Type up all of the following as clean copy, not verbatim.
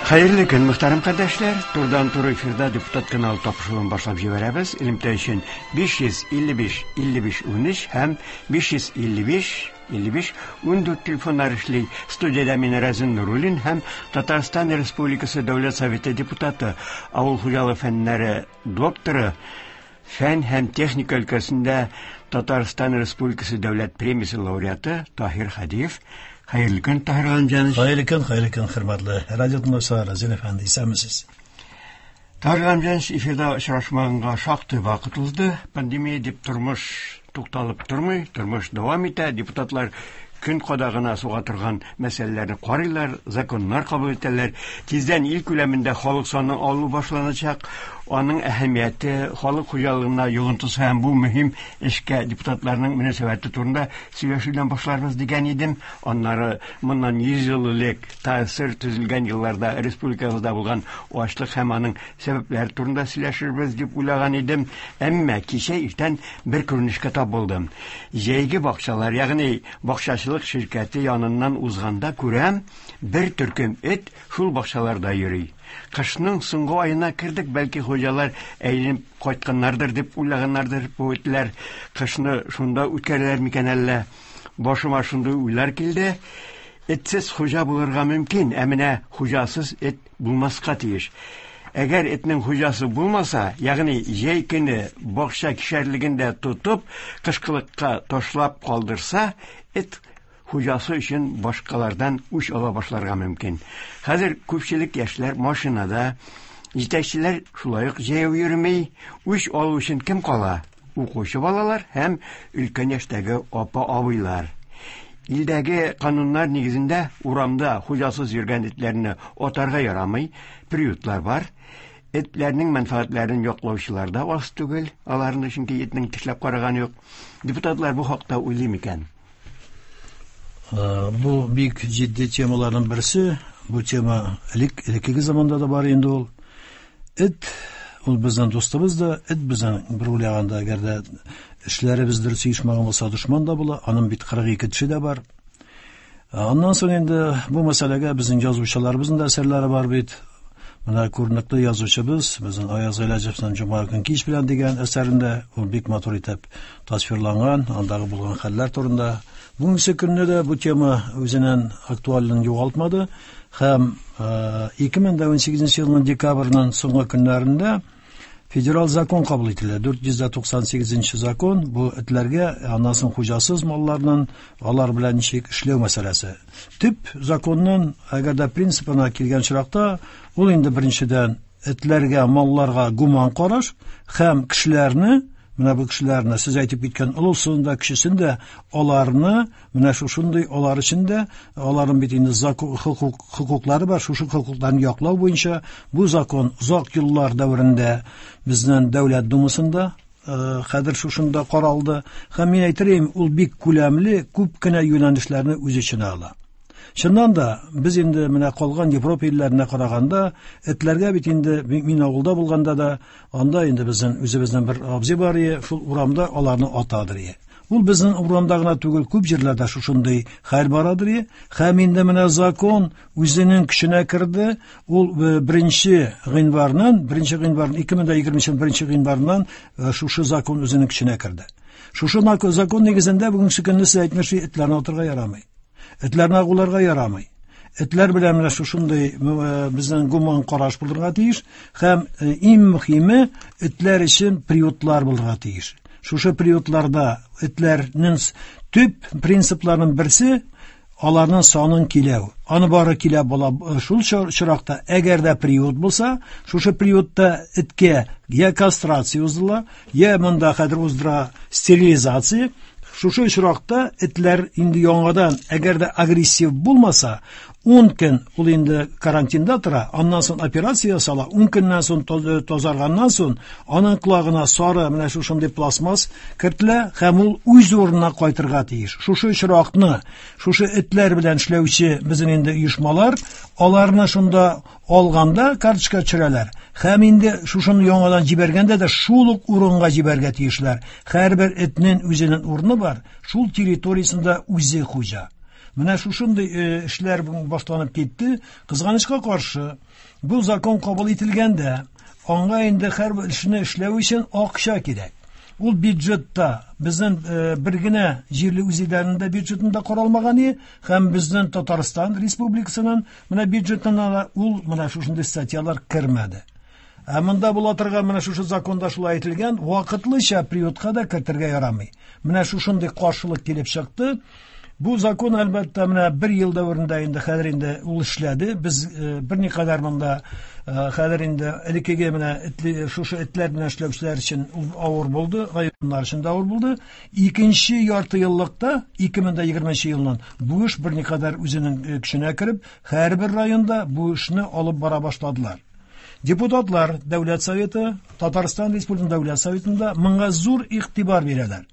Хәерле көн, мөхтәрәм кардәшләр. Турыдан-туры эфирда депутат каналы тапшыруын башлап җибәрәбез. Элемтә өчен 555 55 13 һәм 555 55 14 телефоннар эшли. Студиядә мин Разин Нуруллин һәм Татарстан Республикасы Дәүләт Советы депутаты, авыл хуҗалыгы фәннәре докторы, фән һәм техника өлкәсендә Татарстан Республикасы Дәүләт премиясе лауреаты Таһир Хадиев. Хәерле көн, Таһир Галимҗанович. Хәерле көн, хәерле көн, хөрмәтле радио тыңлаучылар, Разил әфәнде, исәнмесез. Таһир Галимҗанович, эфирда очрашмаганга шактый вакыт узды. Пандемия дип тормыш тукталып тормый, тормыш дәвам итә. Депутатлар көн кадагына суга торган мәсьәләләрне карыйлар, законнар кабул итәләр. Тиздән ил күләмендә халык санын алу башланачак. Аның әһәмияте, халык хуҗалыгына йогынтысы һәм бу мөһим эшкә депутатларның мөнәсәбәте турында сөйләшүдән башларбыз дигән идем. Аннары моннан 100 ел элек ТАССР төзелгән елларда республикабызда булган ачлык һәм аның сәбәпләре турында сөйләшербез дип уйлаган идем. Әмма кичә иртән бер күренешкә тап булдым. Җәйге бакчалар, ягъни бакчачылык ширкәте яныннан узганда күрәм, бер төркем эт шул бакчаларда йөри. Кышның соңгы аена кердек, бәлки хуҗалар әйләнеп кайтканнардыр дип уйлаганнардыр бу этләр. Кышны шунда үткәрәләр микән әллә? Башыма шундый уйлар килде. Этсез хуҗа булырга мөмкин, ә менә хуҗасыз эт булмаска тиеш. Әгәр этнең хуҗасы булмаса, ягъни җәй көне бакча кишәрлегендә тотып, кышкылыкка ташлап калдырса, эт хуҗасы өчен башкалардан үч ала башларга мөмкин. Хәзер күпчелек яшьләр машинада, җитәкчеләр шулай ук җәяү йөрми. Үч алу өчен кем кала? Укучы балалар һәм өлкән яшьтәге апа-абыйлар. Илдәге кануннар нигезендә урамда хуҗасыз йөргән этләрне атарга ярамый, приютлар бар. Этләрнең мәнфәгатьләрен яклаучылар да аз түгел, аларны чөнки этнең тешләп караганы юк. Депутатлар бу хакта уйлый микән? Бу бик җитди темаларның берсе. Бу тема элек элеккеге заманда да бар инде ул. Эт ул безнең дустыбыз да, эт безнең бер уйлаганда, әгәр дә эшләребез дөрес оешмаган булса, дошман да була. Аның бит 42 теше дә бар. Аннан соң инде бу мәсьәләгә безнең язучыларыбызның да әсәрләре бар бит. Менә күренекле язучыбыз, безнең Аяз Гыйләҗевның Җомга көн кич белән дигән әсәрендә ул бик матур итеп тасвирланган, андагы булган хәлләр турында. Бүгенге көнне дә бу тема үзенең актуальлеген югалтмады һәм 2018 елның декабрьнең соңгы көннәрендә федераль закон кабул ителә. 498 закон бу этләргә, аннан соң хуҗасыз малларның алар белән ничек эшләү мәсьәләсе. Төп законның әгәр дә принципына килгән очракта, ул инде беренчедән этләргә, малларга гуман караш һәм кешеләрне, менә бу кешеләрне, сез әйтеп киткән олысын да, кечесен дә, аларны менә шушындый алар өчен дә, аларның бит инде закон, хокук, хокуклары бар, шушы хокукларны яклау буенча бу закон озак еллар дәверендә безнең Дәүләт Думасында хәзер шушында каралды. Һәм мин әйтер идем, ул бик күләмле, күп кенә юнәлешләрне үз эченә ала. Чыннан да, без инде менә калган Европа илләренә караганда, этләргә бит инде мин авылда булганда да, анда инде безнең үзебезнең бер абзый бар иде, шул урамда аларны атадыр иде. Ул безнең урамда гына түгел, күп җирләрдә шушындый хәл барадыр иде. Һәм инде менә закон үзенең көченә керде. Ул беренче гыйнварнан, беренче гыйнварның 2020 беренче гыйнварыннан шушы закон үзенең көченә керде. Шушы закон нигезендә бүгенге көнне сез әйтмешли этләрне атырга ярамый. Этләрне агуларга ярамый. Этләр белән менә шушындый безнең гуман караш булырга тиеш һәм иң мөһиме этләр өчен приютлар булырга тиеш. Шушы приютларда этләрнең төп принципларының берсе аларның санын киләү. Аны бары килә була шул чоракта, әгәр дә приют булса, шушы приютта эткә я кастрация уздырыла, я монда хәзер уздыра стерилизация. Шушы очракта этләр инде яңадан, әгәр дә агрессив булмаса, 10 көн ул инде карантинда тора, аннан соң операция ясала, 10 көннән соң тазарганнан соң аның колагына сары менә шушындый пластмасс кертелә һәм ул үз урынына кайтырга тиеш. Шушы очракны, шушы этләр белән эшләүче безнең инде оешмалар, аларны шунда алганда карточка төшерәләр. Һәм инде шушыны яңадан җибәргәндә дә шул ук урынга җибәргә тиешләр. Һәрбер этнең үзенең урыны бар, шул территориясендә үзе хуҗа. Менә шушындый эшләр башланып китте. Кызганычка каршы, бу закон кабул ителгәндә, аңа инде һәрбер эшне эшләү өчен акча кирәк. Ул бюджетта безнең бер генә җирле үзидарәнең дә бюджетында каралмаган иде, һәм безнең Татарстан Республикасының менә бюджетына да ул менә шушындый статьялар кермәде. Ә монда була торган менә шушы законда шулай әйтелгән, вакытлыча приютка да кертергә ярамый. Менә шушындый каршылык килеп чыкты. Бу закон, әлбәттә, менә бер ел дәверендә инде хәзер инде ул эшләде. Без берникадәр монда хәзер инде элеккеге менә шушы этләр белән эшләүчеләр өчен ул авыр булды, районнар өчен дә авыр булды. Икенче ярты еллыкта, 2020 елның бу эш берникадәр үзенең көченә кереп, һәрбер районда бу эшне алып бара башладылар. Депутатлар Дәүләт Советы, Татарстан Республикасының Дәүләт Советында моңа зур игътибар бирәләр.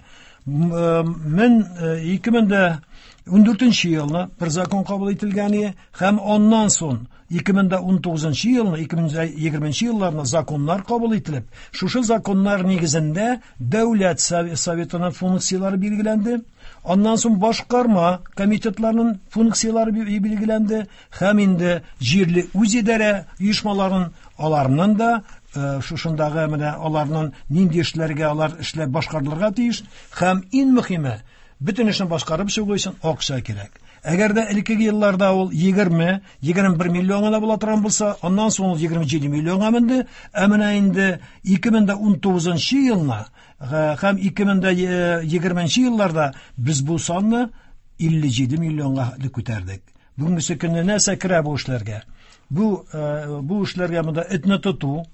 Мен 2014 елны бер закон кабул ителгән иде, һәм аннан соң 2019 елны, 2020 елларны законнар кабул ителеп, шушы законнар нигезендә Дәүләт Советының функцияләре билгеләнде. Аннан соң башкарма комитетларының функцияләре билгеләнде, һәм инде җирле үзидарә оешмаларын, аларның да шушындагы менә аларның нинди эшләргә алар эшләп башкарылырга тиеш, һәм иң мөһиме, бөтен эшне башкарып чыгу өчен акча кирәк. Әгәр дә элеккеге елларда ул 20, 21 миллион гына була торган булса, аннан соң ул 27 миллионга менде, ә менә инде 2019 елны һәм 2020 елларда без бу санны 57 миллионга күтәрдек. Бүгенге көнне нәрсә керә бу эшләргә? Бу бу эшләргә монда этне тоту,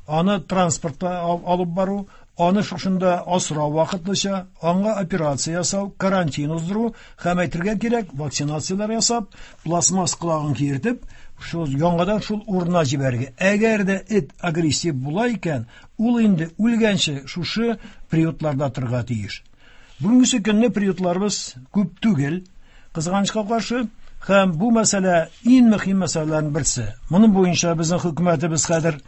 аны транспортта алып бару, аны шушында асрау вакытлыча, аңа операция ясау, карантин уздыру һәм әйтергә кирәк, вакцинацияләр ясап, пластмасс колагын киертеп, шул яңадан шул урынына җибәрергә. Әгәр дә эт агрессив була икән, ул инде үлгәнче шушы приютларда торырга тиеш. Бүгенге көнне приютларыбыз күп түгел, кызганычка каршы, һәм бу мәсьәлә иң мөһим мәсьәләләрнең берсе. Моның буенча безнең хөкүмәтебез хәзер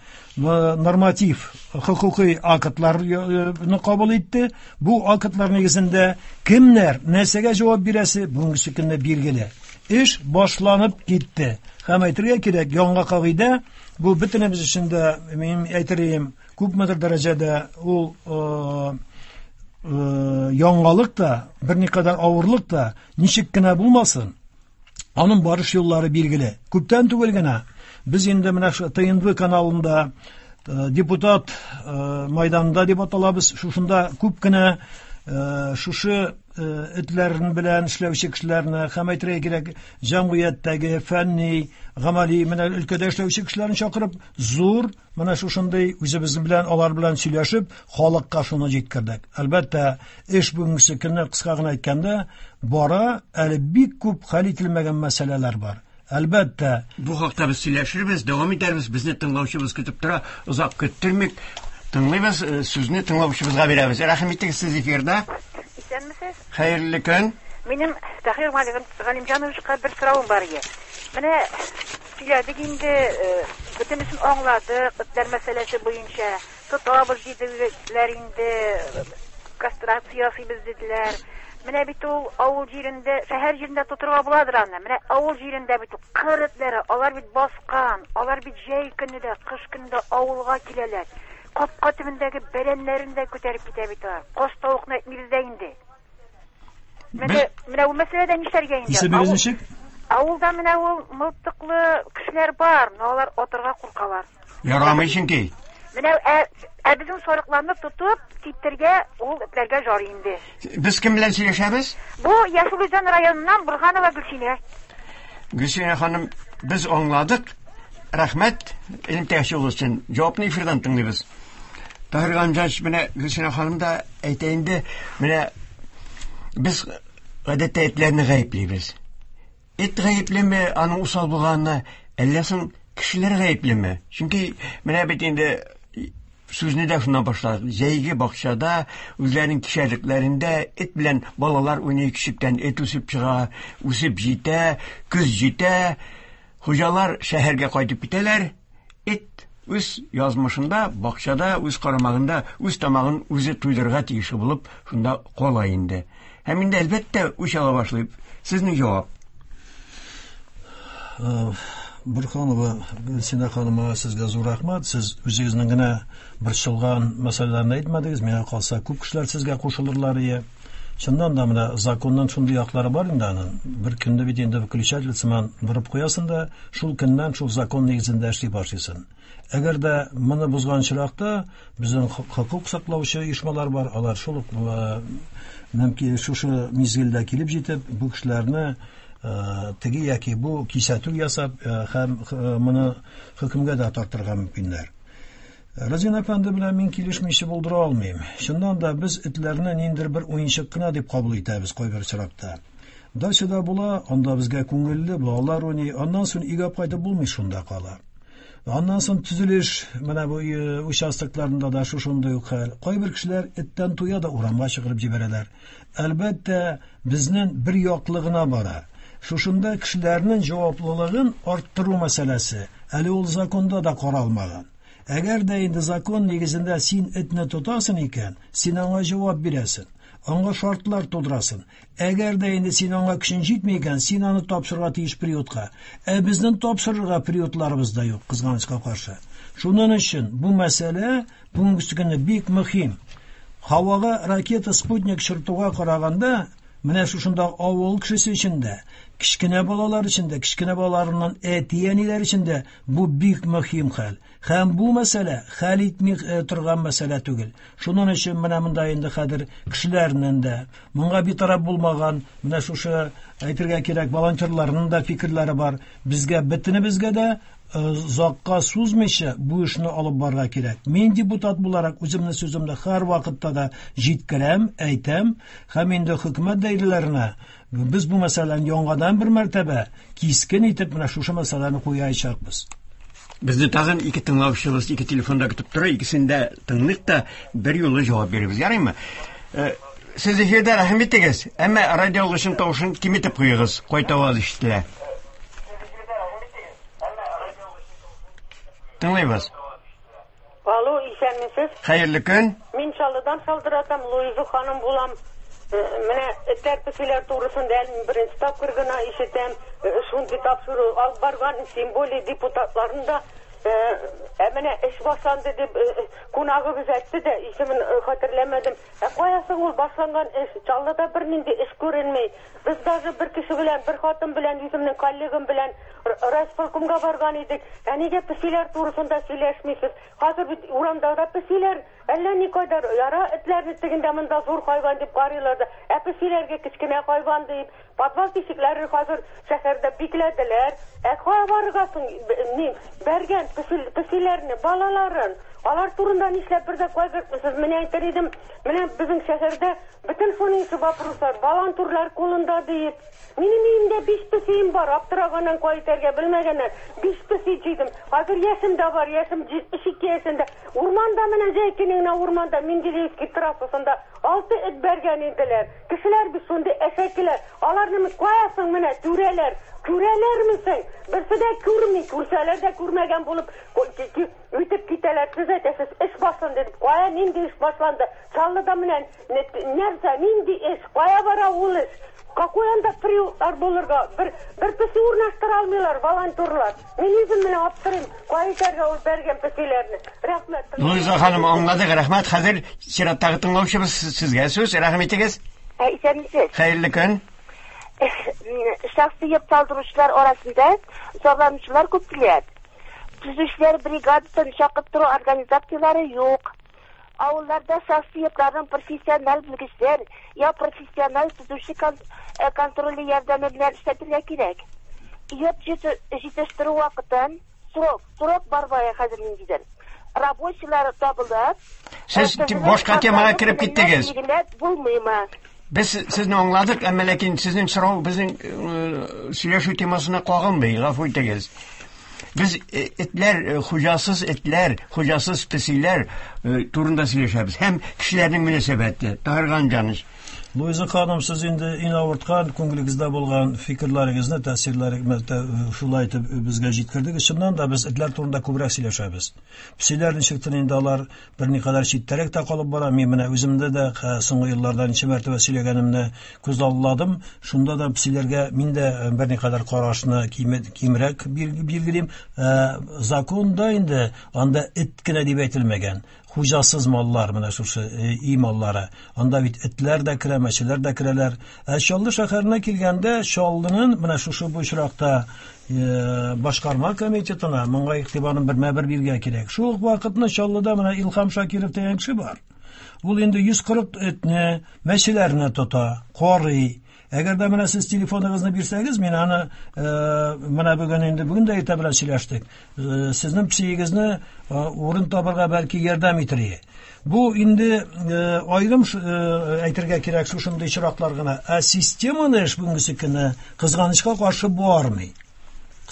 норматив хокукый актларны кабул итте. Бу актлар нигезендә кемнәр нәрсәгә җавап бирәсе бүгенге көнне билгеле. Эш башланып китте. Һәм әйтергә кирәк, яңа кагыйдә бу бөтенебез өчен дә, мин әйтер идем, күпмедер дәрәҗәдә ул яңалык та, берникадәр авырлык та, ничек кенә булмасын, аның барыш юллары билгеле. Күптән түгел генә без инде менә шу ТНВ каналында депутат майданында дип аталабыз, шушында күп кенә шушы этләрен белән эшләүче кешеләрне һәм әйтергә кирәк, җәмгыятьтәге фәнни, гамәли менә өлкәдә эшләүче кешеләрне чакырып, зур менә шушындый үзебез белән, алар белән сөйләшеп, халыкка шуны җиткердек. Әлбәттә, эш бүгенге көнне кыска гына әйткәндә бара, әле бик күп хәл ителмәгән мәсьәләләр бар. Әлбәттә, бу хакта без сөйләшербез, дәвам итәрбез. Безне тыңлаучыбыз көтеп тора, озак көттермик. Тыңлыйбыз, сүзне тыңлаучыбызга бирәбез. Рәхим итегез, сез эфирда. Исәнмесез? Хәерле көн. Минем Таһир Галимҗановичка бер соравым бар иде. Менә сөйләдек инде, бөтенесен аңладык, этләр мәсьәләсе буенча. Тотабыз диделәр инде, кастрация ясыйбыз диделәр. Менә бит ул авыл җирендә, шәһәр җирендә тотырга буладыр аны. Менә авыл җирендә бит ул кыр этләре, алар бит баскан, алар бит җәй көне дә, кыш көне дә авылга киләләр. Капка төбендәге бәрәннәрен дә күтәреп китә бит алар. Каз тавыкны әйтмибез дә инде. Менә менә бу мәсьәләдә нишләргә инде? Исемегез ничек? Авылда менә ул мылтыклы кешеләр бар, но алар атырга куркалар. Ярамый чөнки. Менә ә безнең сарыкларны тотып китергә ул этләргә җар инде. Без кем белән сөйләшәбез? Бу Яшел Үзән районыннан Бурһанова Гөлсинә. Гөлсинә ханым, без аңладык. Рәхмәт элемтәгә чыгуыгыз өчен. Җавапны эфирдан тыңлыйбыз. Таһир Галимҗанович, менә Гөлсинә ханым да әйтә инде, менә без гадәттә этләрне гаеплибез. Эт гаеплеме аның усал булганына, әллә соң кешеләр гаеплеме? Чөнки менә бит инде сүзне дә шуннан башладык. Җәйге бакчада үзләренең кишәрлекләрендә эт белән балалар уйный, кишектән эт үсеп чыга, үсеп җитә, көз җитә. Хуҗалар шәһәргә кайтып китәләр. Эт үз язмышында, бакчада, үз карамагында, үз тамагын үзе туйдырырга тиешле булып, шунда кала инде. Һәм инде әлбәттә үч ала башлый. Сезнең җавап? Бурханова Гөлсинә ханымга сезгә зур рәхмәт. Сез үзегезнең генә борчылган мәсьәләләрне әйтмәдегез. Миңа калса, күп кешеләр сезгә кушылырлар ие. Чыннан да менә законның шундый яклары бар инде аның. Бер көнне бит инде выключатель сыман борып куясың да, шул көннән шул закон нигезендә эшли башлыйсың. Әгәр дә моны бозган очракта, безнең хокук саклаучы оешмалар бар, алар шул ук мөмкин шушы мизгелдә килеп җитеп, бу кешеләрне теге яки бу кисәтү ясап һәм моны хөкемгә дә тартырга мөмкиннәр. Разин әфәнде белән мин килешмичә булдыра алмыйм. Чыннан да без этләрне ниндидер бер уенчык кына дип кабул итәбез кайбер очракта. Дачада була, анда безгә күңелле, балалар уйный, аннан соң өйгә кайтып булмый шунда кала. Аннан соң төзелеш, менә бу участокларында да шушындый ук хәл. Кайбер кешеләр эттән туя да урамга чыгарып җибәрәләр. Әлбәттә, безнең бер яклы гына бара. Шушында кешеләрнең җаваплылыгын арттыру мәсьәләсе әле ул законда да каралмаган. Әгәр дә инде закон нигезендә син этне тотасың икән, син аңа җавап бирәсең, аңа шартлар тудырасың. Әгәр дә инде син аңа көчең җитми икән, син аны тапшырырга тиеш приютка. Ә безнең тапшырырга приютларыбыз да юк, кызганычка каршы. Шуның өчен бу мәсьәлә бүгенге көндә бик мөһим. Һавага ракета спутник чыртуга караганда, менә шушында авыл кешесе өчен дә, кечкенә балалар өчен дә, кечкенә балаларының әти-әниләр өчен дә бу бик мөһим хәл. Һәм бу мәсьәлә хәл итми торган мәсьәлә түгел. Шуның өчен менә монда инде хәзер кешеләрнең дә, моңа битараф булмаган, менә шушы әйтергә кирәк, волонтерларның да фикерләре бар. Безгә бөтенебезгә дә озакка сузмыйча бу эшне алып барырга кирәк. Мин депутат буларак үземнең сүземне һәр вакытта да җиткерәм, әйтәм, һәм инде хөкүмәт даирәләренә без бу мәсьәләне яңадан бер мәртәбә кискен итеп менә шушы мәсьәләне куячакбыз. Безне тагын ике тыңлаучыбыз ике телефонда көтеп тора, икесен дә тыңлыйк та бер юлы җавап бирербез. Ярыймы? Сез эфирдә, рәхим итегез, әмма радио алгычның тавышын киметеп куегыз, кайтаваз ишетелә. Тыңлыйбыз. Алло, исәнмесез. Хәерле көн. Мин Чаллыдан шалтыратам, Луиза ханым булам. Менә этләр песиләр турысында әле мин беренче тапкыр гына ишетәм. Шундый тапшыру алып барган, тем более депутатларын да. Ә менә эш башланды дип кунагыбыз әйтте дә, исемен хәтерләмәдем. Ә кая соң ул башланган эш? Чаллыда бернинди эш күренми. Без даже бер кеше белән, бер хатын белән, үземнең коллегам белән райисполкомга барган идек. Ә нигә песиләр турысында сөйләшмисез? Хәзер бит урамда да песиләр әллә никадәр, яра этләрне тегендә монда зур хайван дип карыйлар да, ә песиләргә кечкенә хайван дип, подвал тишекләрен хәзер шәһәрдә бикләделәр. Ә кая барырга соң, ни, бәргән песиләрне, балаларын? Алар турында нишләп бер дә кайгыртмыйсыз? Менә әйтер идем, менә безнең шәһәрдә бөтен шуның ише вопрослар, волонтерлар кулында диеп. Минем өемдә 5 песием бар, аптыраганнан кая итәргә белмәгәннән 5 песи җыйдым. Хәзер яшем дә бар, яшем 72 яшендә. Урманда менә җәй көне генә урманда Менделеевский трассасында 6 эт бәргән иделәр. Кешеләр бит шундый әшәкеләр. Аларны кая соң менә түрәләр? Күрәләрме соң? Берсе дә күрми, күрсәләр дә күрмәгән булып үтеп китәләр. Сез әйтәсез, эш башланды дип. Кая нинди эш башланды? Чаллыда менә нәрсә, нинди эш? Кая бара ул эш? Какой анда приютлар булырга? Бер песи урнаштыра алмыйлар волонтерлар. Мин үзем менә аптырыйм, кая итәргә ул бәргән песиләрне. Рәхмәт. Луиза ханым, аңладык, рәхмәт. Хәзер чираттагы тыңлаучыбыз, сезгә сүз, рәхим итегез. Исәнмесез. Хәерле көн. Шәхси йорт салдыручылар арасында зарланучылар күп килә. Төзүчеләр бригадасын чакырттыру организацияләре юк. Авылларда шәхси йортларның профессиональ белгечләр я профессиональ төзүче контроле ярдәме белән эшләтергә кирәк. Йорт җитештерү вакытын срок бар бая хәзер ниндидер. Рабочилар табылып, Сез башка темага кереп киттегез. Билгеләп булмыймы? Без сезне аңладык, әмма ләкин сезнең сорау безнең сөйләшү темасына кагылмый, гафу итегез. Без этләр, хуҗасыз этләр, хуҗасыз песиләр турында сөйләшәбез һәм кешеләрнең мөнәсәбәте. Таһир Галимҗанович. Луиза ханым, сез инде иң авырткан, күңелегездә булган фикерләрегезне, тәэсирләрегезне шулай итеп безгә җиткердегез. Чыннан да без этләр турында күбрәк сөйләшәбез. Песиләр ничектер инде алар берникадәр читтәрәк тә калып бара. Мин менә үземдә дә соңгы елларда ничә мәртәбә сөйләгәнемне күзалладым. Шунда да песиләргә мин дә берникадәр карашны кимрәк билгелим. Законда инде анда эт кенә дип әйтелмәгән. Хуҗасыз маллар, менә шушы өй маллары. Анда бит этләр дә керә, мәчеләр дә керәләр. Ә Чаллы шәһәренә килгәндә, Чаллының менә шушы бу очракта башкарма комитетына моңа игътибарын бермә-бер бирергә кирәк. Шул ук вакытны Чаллыда менә Илһам Шакиров дигән кеше бар. Ул инде 140 этне, мәчеләрне тота, карый. Әгәр дә менә сез телефоныгызны бирсәгез, мин аны менә бүген инде бүген дә иртә белән сөйләштек. Сезнең психигезне урын табырга бәлки ярдәм итер иде. Бу инде аерым әйтергә кирәк шушындый очраклар гына. Ә системалы эш бүгенге көндә кызганычка каршы бармый.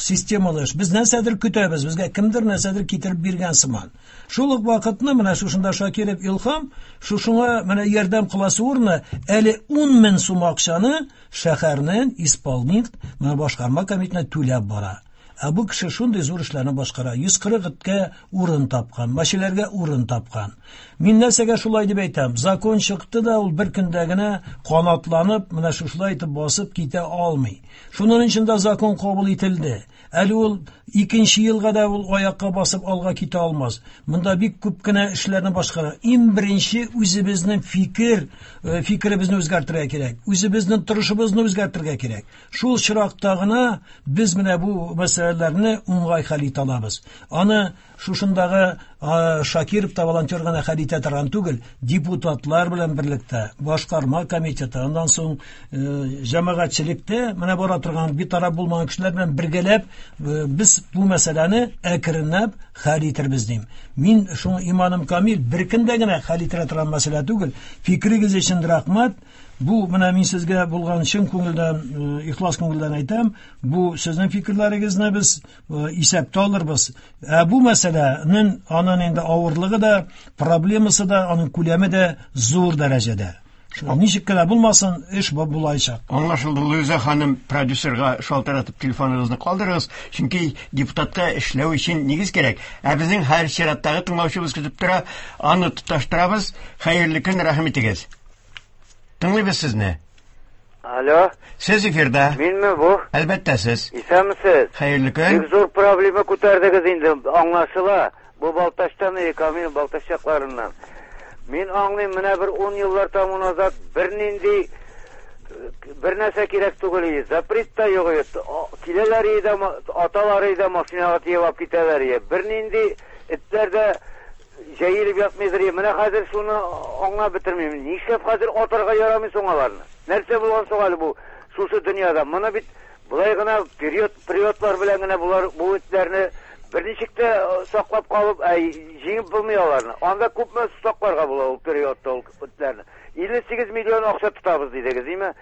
Системалы эш. Без нәрсәдер көтәбез, безгә кемдер нәрсәдер китереп биргән сыман. Шул ук вакытны менә шушында Шакиров Илһам шушыңа менә ярдәм кыласы урыны әле 10 мең сум акчаны шәһәрнең исполнитель менә башкарма комитетына түләп бара. Ә бу кеше шундый зур эшләрне башкара. 140 эткә урын тапкан, мәчеләргә урын тапкан. Мин нәрсәгә шулай дип әйтәм? Закон чыкты да ул бер көндә генә канатланып, менә шушылай итеп басып китә алмый. Шуның өчен дә закон кабул ителде. Әле ул икенче елга да ул аякка басып алга китә алмас. Монда бик күп кенә эшләрне башкара. Иң беренче үзебезнең фикеребезне үзгәртергә кирәк. Үзебезнең торышыбызны үзгәртергә кирәк. Шул чиракта гына без менә бу мәсьәләләрне уңай хәл итә алабыз. Аны шушындагы Шакиров та волонтер гына хәл итә торган түгел, депутатлар белән берлектә, башкарма комитеты, аннан соң җәмәгатьчелектә менә бара торган битараф булмаган кешеләр белән бергәләп без бу мәсьәләне әкренләп хәл итербез дим. Мин шуңа иманым камил, бер көндә генә хәл ителә торган мәсьәлә түгел. Фикерегез өчен рәхмәт. Бу менә мин сезгә булган чын күңелдән, ихлас күңелдән әйтәм, бу сезнең фикерләрегезне без исәптә алырбыз. Ә бу мәсьәләнең аның инде авырлыгы да, проблемасы да, аның күләме дә зур дәрәҗәдә. Шуңа ничек кенә булмасын, эш булачак. Аңлашылды, Луиза ханым, продюсерга шалтыратып телефоныгызны калдырыгыз, чөнки депутатка эшләү өчен нигез кирәк. Ә безнең һәр чираттагы тыңлаучыбыз көтеп тора, аны тоташтырабыз. Хәерле көн, рәхим итегез. Тыңлыйбыз сезне. Алло. Сез эфирда. Минме бу? Әлбәттә сез. Исәнмесез. Хәерле көн. Бик зур проблема күтәрдегез инде, аңлашыла. Бу Балтачтан, Камил Балтач якларыннан. Мин аңлыйм, менә бер 10 еллар тому назад бернинди бер нәрсә кирәк түгел иде. Запрет та юк иде. Киләләр иде, аталар иде, машинага тиеп алып китәләр иде. Бернинди этләр дә җәелеп ятмыйдыр иде. Менә хәзер шуны аңлап бетермим. Нишләп хәзер атарга ярамый соң аларны? Нәрсә булган соң әле бу шушы дөньяда? Моны бит болай гына периодлар белән генә булар бу этләрне берничек тә саклап калып, җиңеп булмый аларны. Анда күпме сакларга була ул периодта ул этләрне? 58 миллион акча тотабыз дидегез, димме?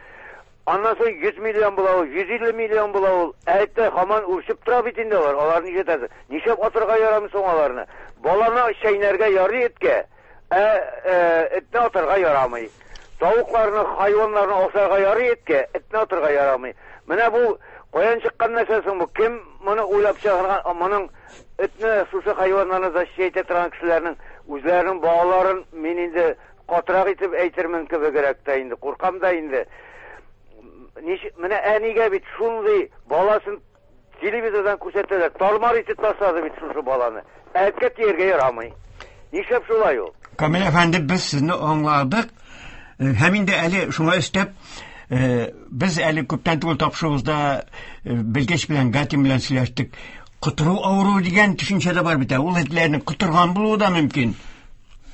Аннан соң 100 миллион була ул, 150 миллион була ул. Әйтте, һаман үрчеп тора бит инде алар. Алар ничә? Нишләп атырга ярамый соң аларны? Баланы чәйнәргә ярый эткә, этне атырга ярамый. Тавыкларны, хайваннарны асарга ярый эткә, этне атырга ярамый. Менә бу каян чыккан нәрсә соң бу? Кем моны уйлап чыгарган? Моның этне, шушы хайваннарны защищать итә торган кешеләрнең үзләренең балаларын мин инде катырак итеп әйтермен кебегрәк тә инде, куркам да инде. Менә әнигә бит шундый баласын телевизордан күрсәтәләр, тармар итеп ташлады бит шушы баланы. Әткә тияргә ярамый. Нишләп шулай ул? Камил әфәнде, без сезне аңладык. Һәм инде әле шуңа өстәп, без әле күптән түгел тапшыруыбызда белгеч белән, Гатин белән сөйләштек. Котыру авыруы дигән төшенчә дә бар бит. Ул этләрнең котырган булуы да мөмкин.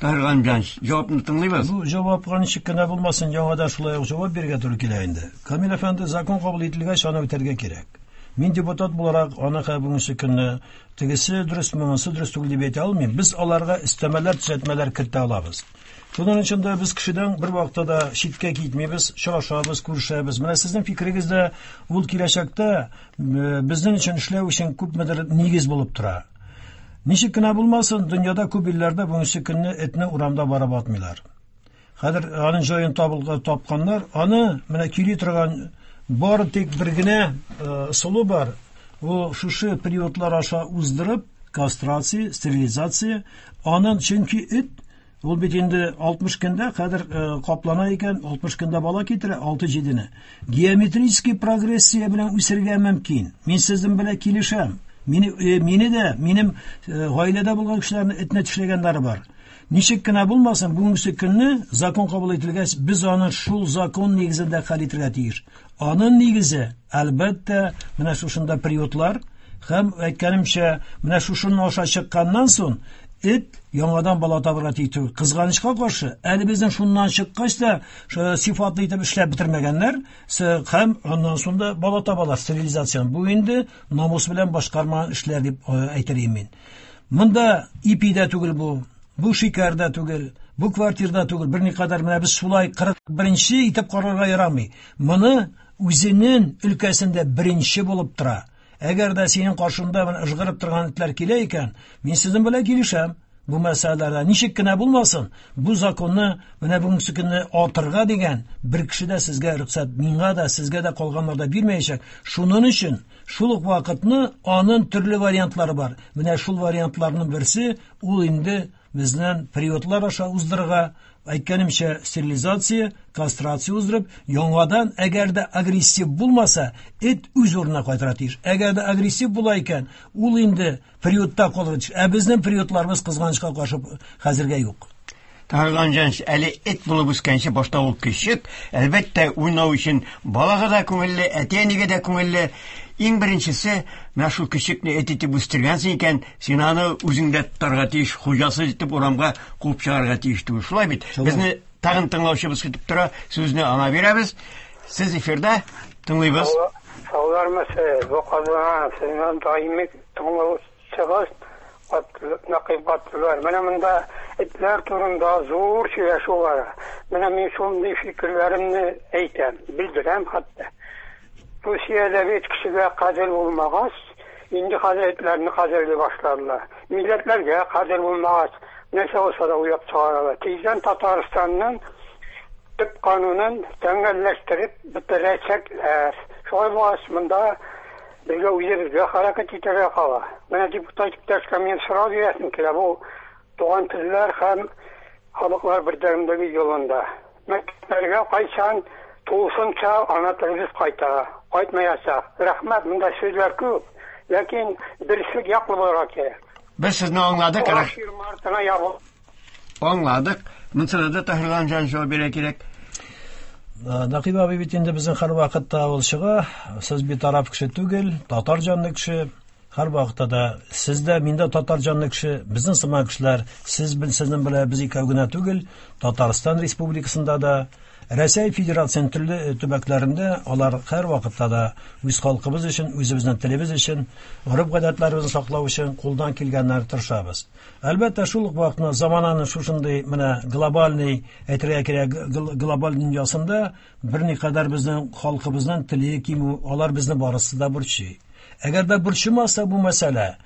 Таһир Галимҗанович, җавапны тыңлыйбыз. Бу җавапка ничек кенә булмасын, яңадан шулай ук җавап бирергә туры килә инде. Камил әфәнде, закон кабул ителгәч, аны үтәргә кирәк. Мин депутат буларак аны бүгенге көнне тегесе дөрес, монысы дөрес түгел дип әйтә алмыйм. Без аларга өстәмәләр, төзәтмәләр кертә алабыз. Шуның өчен дә без кешедән бер вакытта да читкә китмибез, очрашабыз, күрешәбез. Менә сезнең фикерегез дә ул киләчәктә безнең өчен эшләү өчен күпмедер нигез булып тора. Ничек кенә булмасын, дөньяда күп илләрдә бүгенге көнне этне урамда барып атмыйлар. Хәзер аның җаен табылган тапканнар. Аны менә көйли торган бары тик бер генә ысулы бар. Ул шушы приютлар аша уздырып, кастрация, стерилизация. Анын чөнки эт ул бит инде 60 көндә хәзер каплана икән, 60 көндә бала китерә, 6-7-не. Геометрический прогрессия белән үсергә мөмкин. Мин сезнең белән килешәм. Мине, мине дә, минем гаиләдә булган кешеләрне этне тешләгәннәре бар. Ничек кенә булмасын, бүгенге көнне закон кабул ителгәч, без аны шул закон нигезендә хәл итәргә тиеш. Аның нигезе, әлбәттә, менә шушында приютлар һәм әйткәнемчә, менә шушының аша чыкканнан соң эт яңадан бала табырга тиеш түгел. Кызганычка каршы, әле безнең шуннан чыккач та сыйфатлы итеп эшләп бетермәгәннәр, һәм аннан соң да бала табалар стерилизацияне. Бу инде намус белән башкармаган эшләр дип әйтер идем мин. Монда ипи дә түгел бу, бу шикәр дә түгел, бу квартирда түгел. Берникадәр менә без шулай 41-нче итеп карарга ярамый. Моны үзенең өлкәсендә беренче булып тора. Әгәр дә синең каршыңда менә ыжгырып торган этләр килә икән, мин сезнең белән килешәм. Бу мәсьәләләрдә ничек кенә булмасын, бу законны менә бүгенге көнне атырга дигән бер кеше дә сезгә рөхсәт, миңа да, сезгә дә калганнар да бирмәячәк. Шуның өчен шул ук вакытны аның төрле вариантлары бар. Менә шул вариантларның берсе ул инде безнең приютлар аша уздырырга, әйткәнемчә, стерилизация, кастрация уздырып, яңадан әгәр дә агрессив булмаса, эт үз урынына кайтырга тиеш. Әгәр дә агрессив була икән, ул инде приютта калырга тиеш. Ә безнең приютларыбыз кызганычка каршы хәзергә юк. Таһир Галимҗанович, әле эт булып үскәнче башта ул көчек, әлбәттә, уйнау өчен балага да күңелле, әти-әнигә дә күңелле. Иң беренчесе, менә шул көчекне эт итеп үстергәнсең икән, син аны үзеңдә тотарга тиеш, хуҗасыз итеп урамга куып чыгарга тиеш түгел. Шулай бит? Безне тагын тыңлаучыбыз көтеп тора, сүзне аңа бирәбез. Сез эфирда, тыңлыйбыз. Саулармысыз, бу Казан, сезнең даими тыңлаучыгыз Нәкыйп Габдуллар. Менә монда этләр турында зур сөйләшү бара. Менә мин шундый фикерләремне әйтәм, белдерәм хәтта. Русиядә бит кешегә кадер булмагач, инде хәзер этләрне кадерли башладылар. Милләтләргә кадер булмагач, нәрсә булса да уйлап чыгаралар. Тиздән Татарстанның төп канунын тәңгәлләштереп бетерәчәкләр. Шулай булгач, монда безгә үзебезгә хәрәкәт итәргә кала. Менә депутат иптәшкә мин сорау бирәсем килә, бу туган телләр һәм халыклар бердәмлеге юлында. Мәктәпләргә кайчан тулысынча ана телебез кайта, кайтмаячак. Рәхмәт, монда сүзләр күп, ләкин дөреслек яклы булырга кирәк. Без сезне аңладык. Мартына ябыл. Аңладык. Монысына да Таһир Галимҗанович җавап бирә кирәк. Нәкыйп абый бит инде безнең һәр вакытта ул чыга. Сез битараф кеше түгел, татар җанлы кеше. Һәр вакытта да сез дә, мин дә татар җанлы кеше. Безнең сыман кешеләр, сез сезнең белән без икәү генә түгел, Татарстан Республикасында да, Рәсәй Федерациясенең төрле төбәкләрендә алар һәр вакытта да үз халкыбыз өчен, үзебезнең телебез өчен, гореф-гадәтләребезне саклау өчен кулдан килгәннәрне тырышабыз. Әлбәттә, шул ук вакытта замананың шушындый менә глобальный, әйтергә кирәк, глобаль дөньясында берникадәр безнең халкыбызның теле кимү, алар безне барысы да борчый. Әгәр дә борчымаса бу мәсьәлә,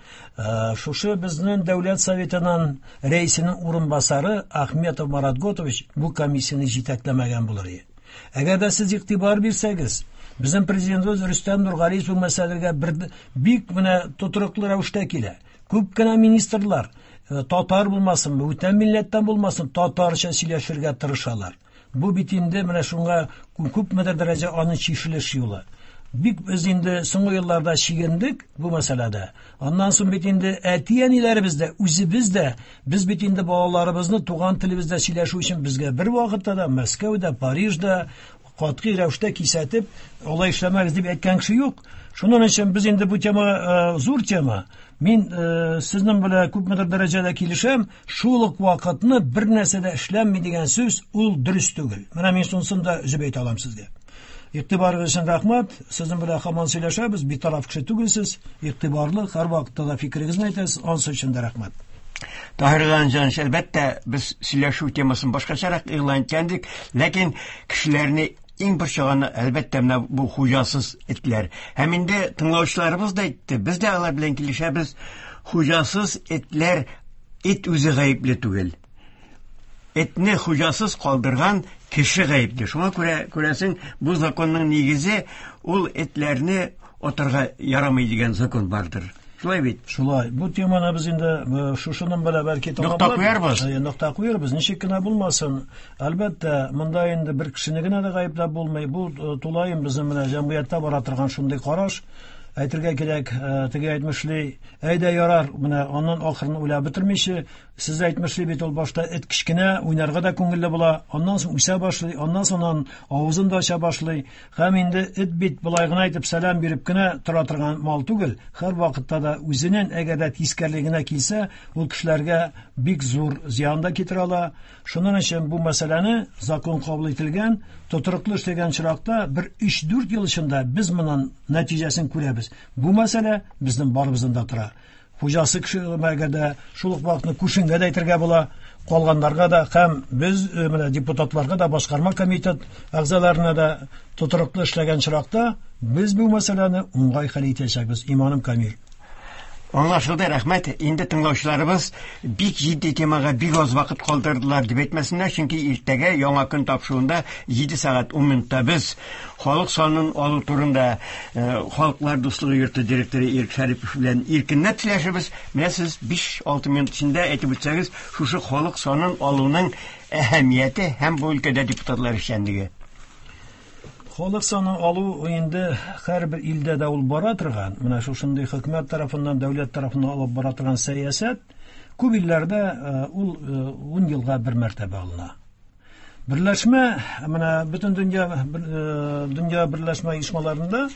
шушы безнең Дәүләт Советының рәисенең урынбасары Ахметов Марат Готович бу комиссияне җитәкләмәгән булыр иде. Әгәр дә сез игътибар бирсәгез, безнең президентыбыз Рөстәм Нургалиев бу мәсьәләгә бер бик менә тотрыклы рәвештә килә. Күп кенә министрлар, татар булмасын, бүтән милләттән булмасын, татарча сөйләшергә тырышалар. Бу бит инде менә шуңа күпмедер дәрәҗә аның чишелеш юлы. Бик без инде соңгы елларда чигендек бу мәсьәләдә. Аннан соң бит инде әти-әниләребез дә, үзебез дә, без бит инде балаларыбызны туган телебездә сөйләшү өчен безгә бер вакытта да Мәскәүдә, Парижда катгый рәвештә кисәтеп, алай эшләмәгез дип әйткән кеше юк. Шуның өчен без инде бу тема зур тема. Мин сезнең белән күпмедер дәрәҗәдә килешәм, шул ук вакытны бер нәрсә дә эшләнми дигән сүз ул дөрес түгел. Менә мин шунысын да өзеп әйтә алам сезгә. Игътибарыгыз өчен рәхмәт. Сезнең белән һаман сөйләшәбез, битараф кеше түгелсез, игътибарлы, һәр вакытта да фикерегезне әйтәсез, анысы өчен дә рәхмәт. Таһир Галимҗанович, әлбәттә, без сөйләшү темасын башкачарак игълан иткәндек, ләкин кешеләрне иң борчыганы, әлбәттә, менә бу хуҗасыз этләр. Һәм инде тыңлаучыларыбыз да әйтте, без дә алар белән килешәбез. Хуҗасыз этләр, эт үзе гаепле түгел. Этне хуҗасыз калдырган кеше гаепле. Шуңа күрә, күрәсең, бу законның нигезе ул этләрне атарга ярамый дигән закон бардыр. Шулай бит? Шулай. Бу теманы без инде э, шушының белән бәлки Нокта куярбыз. Э, нокта куярбыз. Ничек кенә булмасын, әлбәттә, монда инде бер кешене генә дә гаепләп булмый. Бу э, тулаем безнең менә җәмгыятьтә бара торган шундый караш. Әйтергә кирәк, теге әйтмешли, әйдә ярар, менә аннан ахырын уйлап бетермичә, Сез әйтмешли бит ул башта эт кечкенә, уйнарга да күңелле була, аннан соң үсә башлый, аннан соң анын авызын да ача башлый. Һәм инде эт бит болай гына итеп сәлам биреп кенә тора торган мал түгел, һәрвакытта да үзенен әгәр дә тискәрелегенә килсә, ул кешеләргә бик зур зыян да китерә ала. Шуның өчен бу мәсьәләне закон кабул ителгән, тотрыклы эшләгән очракта бер 3-4 ел эчендә без моның нәтиҗәсен күрәбез. Бу мәсьәлә безнең барыбыздан да тора. Хуҗасы кеше әгәр дә шул ук вакытны күшенгә дә әйтергә була, калганнарга да һәм без э, менә депутатларга да, башкарма комитет әгъзаларына да тотрыклы эшләгән очракта без бу мәсьәләне уңай хәл итәчәкбез, иманым камил. Аңлашылды, рәхмәт. Инде тыңлаучыларыбыз бик җитди темага бик аз вакыт калдырдылар дип әйтмәсеннәр, чөнки иртәгә яңа көн тапшыруында 7 сәгать 10 минутта без халык санын алу турында э, Халыклар дуслыгы йорты директоры Ирек Шәрипов белән иркенләп сөйләшербез. Менә сез 5-6 минут эчендә әйтеп үтсәгез, шушы халык санын алуның әһәмияте һәм бу өлкәдә депутатлар эшчәнлеге. Халык санын алу инде һәрбер илдә дә ул бара торган, менә шушындый хөкүмәт тарафыннан, дәүләт тарафыннан алып бара торган сәясәт. Күп илләрдә э, ул 10 э, елга бер мәртәбә алына. Берләшмә, менә бөтен дөнья э, дөнья берләшмә оешмаларында э,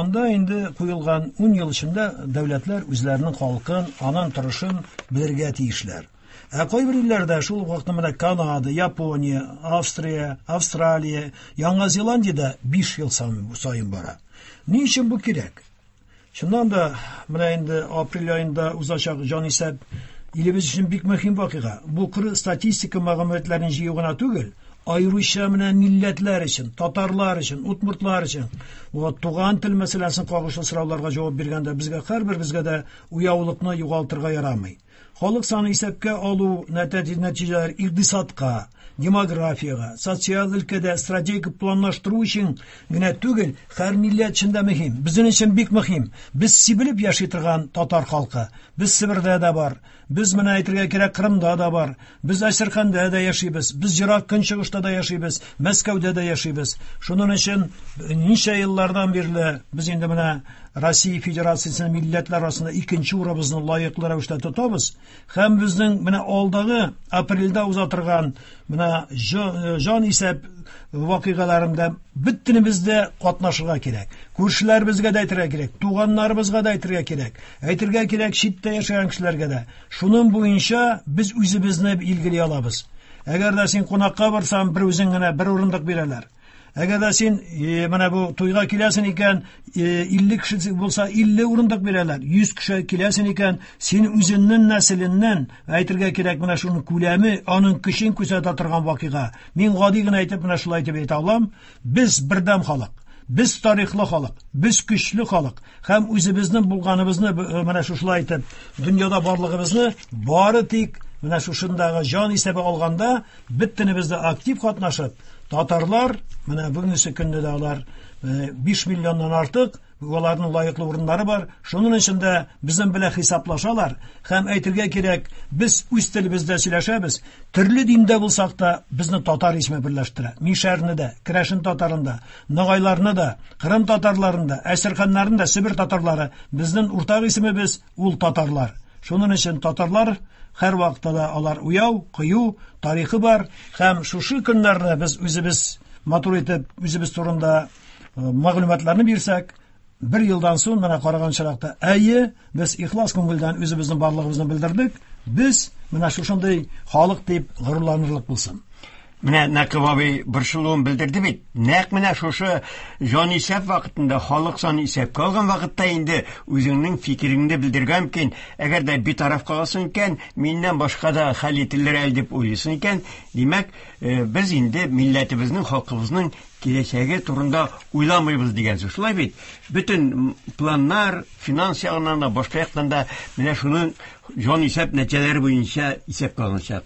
анда инде куелган 10 ел эчендә дәүләтләр үзләренең халкын, аның торышын белергә тиешләр. Ә кайбер илләрдә шул ук вакытта менә Канада, Япония, Австрия, Австралия, Яңа Зеландиядә 5 ел саен бара. Ни өчен бу кирәк? Чыннан да, менә инде апрель аенда узачак җанисәп илебез өчен бик мөһим вакыйга. Бу коры статистика мәгълүматларын җыю гына түгел, аеруча менә милләтләр өчен, татарлар өчен, удмуртлар өчен, вот туган тел мәсьәләсен кагылышлы сорауларга җавап биргәндә безгә һәрберебезгә дә уяулыкны югалтырга ярамый. Халык саны исәпкә алу нәтиҗәләр икътисадка, демографиягә, социаль өлкәдә стратегик планлаштыру өчен генә түгел, һәр милләт өчен дә мөһим. Безнең өчен бик мөһим. Без сибелеп яши торган татар халкы. Без Себердә дә бар. Без менә әйтергә кирәк, Кырымда да бар. Без Әстерханда да яшибез. Без Ерак Көнчыгышта да яшибез, Мәскәүдә дә яшибез. Шуның өчен ничә еллардан бирле без инде менә Россия Федерациясенең милләтләр арасында икенче урыныбызны лаеклы рәвештә тотабыз. Һәм безнең менә алдагы апрельдә уза торган менә э, җан исәп вакыйгаларында бөтенебез дә катнашырга кирәк. Күршеләребезгә дә әйтергә кирәк, туганнарыбызга да әйтергә кирәк. Әйтергә кирәк читтә яшәгән кешеләргә дә. Шуның буенча без үзебезне билгели алабыз. Әгәр дә син кунакка барсаң, бер үзең генә бер урындык бирәләр. Әгәр дә син э, менә бу туйга киләсең икән, 50 э, кеше булса 50 урындык бирәләр. 100 кеше киләсең икән, син үзеңнең нәселеннән әйтергә кирәк менә шуның күләме, аның көчен күрсәтә торган вакыйга. Мин гади генә әйтеп менә шулай дип әйтә алам. Без бердәм халык. Без тарихлы халык, без көчле халык һәм үзебезнең булганыбызны э, менә шушылай итеп дөньяда барлыгыбызны бары тик менә шушындагы җан исәбе алганда бөтенебез дә актив катнашып, татарлар, менә бүгенге көндә дә алар 5 э, миллионнан артык, аларның лаеклы урыннары бар. Шуның өчен дә безнең белән хисаплашалар һәм әйтергә кирәк, без үз телебездә сөйләшәбез. Төрле диндә булсак та, безне татар исеме берләштерә. Мишәрне дә, керәшен татарын да, ногайларны да, кырым татарларын да, әстерханнарын да, Себер татарлары безнең уртак исемебез ул татарлар. Шуның өчен татарлар һәрвакытта да алар уяу, кыю, тарихы бар һәм шушы көннәрне без үзебез матур итеп үзебез турында э, мәгълүматларны бирсәк, бер елдан соң менә караган чиракта, әйе, без ихлас күңелдән үзебезнең барлыгыбызны белдердек, без менә шушындый халык дип горурланырлык булсын. Менә Нәкыйп абый борчылуын белдерде бит. Нәкъ менә шушы җанисәп вакытында, халык саны исәпкә алган вакытта инде үзеңнең фикереңне белдерергә мөмкин. Әгәр дә битараф каласың икән, миннән башка да хәл ителер әле дип уйлыйсың икән, димәк, э, без инде милләтебезнең, халкыбызның киләчәге турында уйламыйбыз дигән сүз. Шулай бит? Бөтен планнар, финанс ягыннан да, башка яктан да менә шуның җанисәп нәтиҗәләре буенча исәпкә алыначак.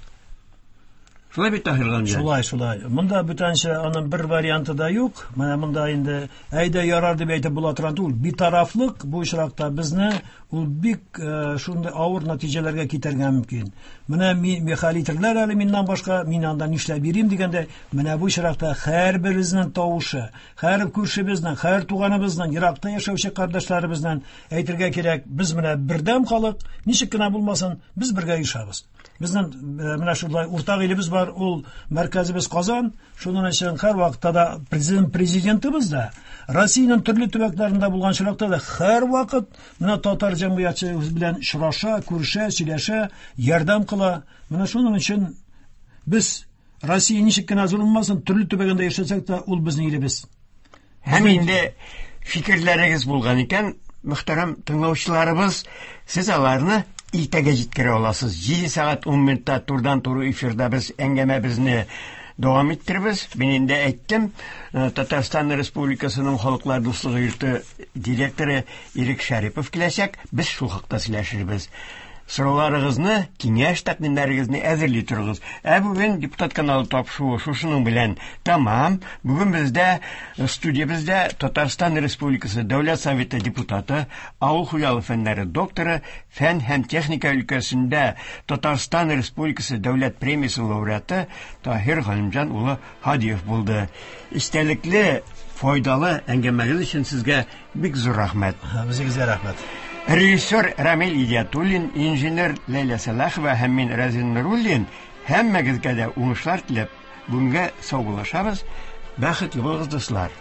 Шулай бит, Таһир Галимҗан? Шулай, шулай. Монда бүтәнчә аның бер варианты да юк. Менә монда инде әйдә ярар дип әйтеп була торган түгел. Битарафлык бу очракта безне ул бик э, шундый авыр нәтиҗәләргә китәргә мөмкин. Менә хәл итерләр әле миннән башка, мин анда нишләп йөрим дигәндә, менә бу очракта һәрберебезнең тавышы, һәр күршебезнең, һәр туганыбызның, еракта яшәүче кардәшләребезнең әйтергә кирәк, без менә бердәм халык, ничек кенә булмасын, без бергә оешабыз. Безнең э, менә шулай уртак илебез бар, ул мәркәзебез Казан. Шуның өчен һәр вакытта да президент президентыбыз да Россиянең төрле төбәкләрендә булган очракта да һәрвакыт менә татар җәмгыятьчелеге белән очраша, күрешә, сөйләшә, ярдәм кыла. Менә шуның өчен без Россия ничек кенә зур булмасын, төрле төбәгендә яшәсәк тә, ул безнең илебез. Һәм инде фикерләрегез булган икән, мөхтәрәм тыңлаучыларыбыз, сез аларны иртәгә җиткерә аласыз. 7 сәгать 10 минутта турыдан-туры эфирда без әңгәмәбезне дәвам иттербез. Мин инде әйттем, э, Татарстан Республикасының Халыклар дуслыгы йорты директоры Ирек Шәрипов киләчәк. Без шул хакта сөйләшербез. Сорауларыгызны, киңәш тәкъдимнәрегезне әзерли торыгыз. Ә бүген депутат каналы тапшыруы шушының белән тәмам. Бүген бездә э, студиябездә Татарстан Республикасы Дәүләт Советы депутаты, авыл хуҗалыгы фәннәре докторы, фән һәм техника өлкәсендә Татарстан Республикасы Дәүләт премиясе лауреаты Таһир Галимҗан улы Һадиев булды. Истәлекле, файдалы әңгәмәгез өчен сезгә бик зур рәхмәт. Үзегезгә рәхмәт. Режиссер Рамил Идиатуллин, инженер Ләйлә Сәлахова һәм мин Разин Нуруллин һәммәгезгә дә уңышлар теләп, бүгенгә саубуллашабыз. Бәхетле булыгыз, дуслар.